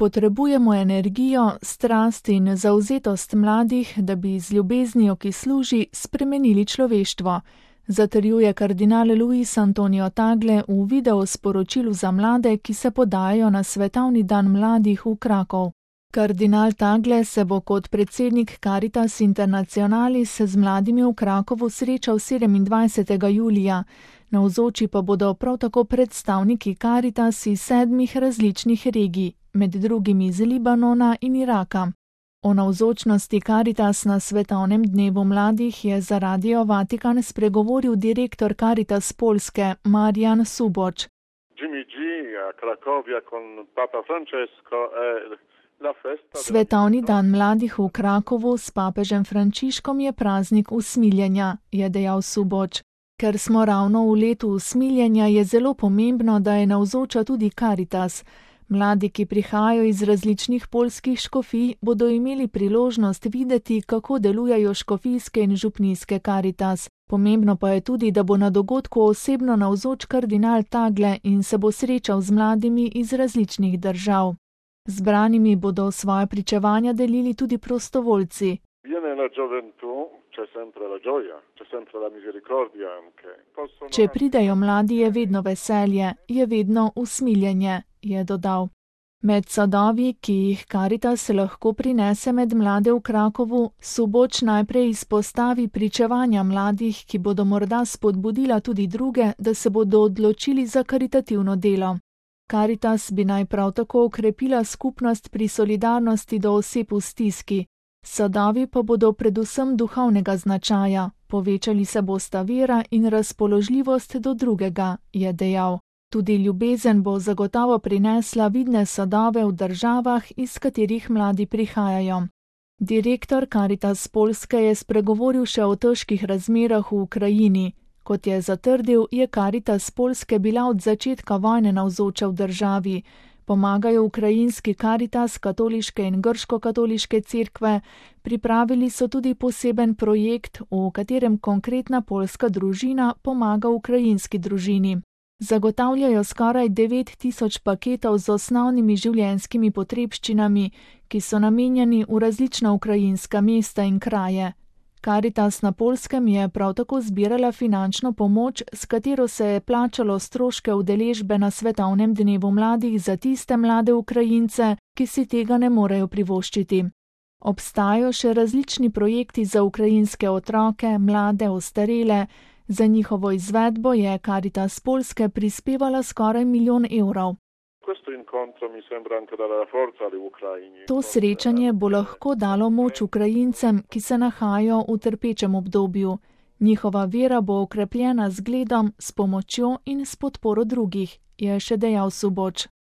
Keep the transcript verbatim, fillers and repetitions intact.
potrebujemo energijo, strast in zavzetost mladih, da bi z ljubeznijo, ki služi, spremenili človeštvo, zatrjuje kardinal Luis Antonio Tagle v videosporočilu za mlade, ki se podajajo na svetovni dan mladih v Krakov. Kardinal Tagle se bo kot predsednik Caritas Internationalis z mladimi v Krakovu srečal sedemindvajsetega julija, navzoči pa bodo prav tako predstavniki Caritas iz sedmih različnih regij, med drugim iz Libanona in Iraka. O navzočnosti Caritas na svetovnem dnevu mladih je za Radio Vatikan spregovoril direktor Caritas Polske Marijan Suboč. Jimmy G a Cracovia con Papa Francesco è Svetovni dan mladih v Krakovu s papežem Frančiškom je praznik usmiljenja, je dejal Suboč. Ker smo ravno v letu usmiljenja, je zelo pomembno, da je navzoča tudi Caritas. Mladi, ki prihajajo iz različnih poljskih škofij, bodo imeli priložnost videti, kako delujejo škofijske in župnijske Caritas. Pomembno pa je tudi, da bo na dogodku osebno navzoč kardinal Tagle in se bo srečal z mladimi iz različnih držav. Zbranimi bodo svoje pričevanja delili tudi prostovoljci. Če pridejo mladi, je vedno veselje, je vedno usmiljenje, je dodal. Med sadovi, ki jih Caritas lahko prinese med mlade v Krakovu, Suboč najprej izpostavi pričevanja mladih, ki bodo morda spodbudila tudi druge, da se bodo odločili za karitativno delo. Caritas bi naj prav tako okrepila skupnost pri solidarnosti do oseb v stiski. Sadovi pa bodo predvsem duhovnega značaja, povečali se bosta vera in razpoložljivost do drugega, je dejal. Tudi ljubezen bo zagotovo prinesla vidne sadove v državah, iz katerih mladi prihajajo. Direktor Caritas Polske je spregovoril še o težkih razmerah v Ukrajini. Kot je zatrdil, je Caritas Polske bila od začetka vojne navzoča v državi. Pomagajo ukrajinski Caritas, katoliške in grško-katoliške cerkve, pripravili so tudi poseben projekt, v katerem konkretna poljska družina pomaga ukrajinski družini. Zagotavljajo skoraj devet tisoč paketov z osnovnimi življenjskimi potrebščinami, ki so namenjeni v različna ukrajinska mesta in kraje. Caritas na Poljskem je prav tako zbirala finančno pomoč, s katero se je plačalo stroške udeležbe na svetovnem dnevu mladih za tiste mlade Ukrajince, ki si tega ne morejo privoščiti. Obstajajo še različni projekti za ukrajinske otroke, mlade, ostarele. Za njihovo izvedbo je Caritas Polske prispevala skoraj milijon evrov. To srečanje bo lahko dalo moč Ukrajincem, ki se nahajajo v trpečem obdobju. Njihova vera bo okrepljena z zgledom, s pomočjo in s podporo drugih, je še dejal Suboč.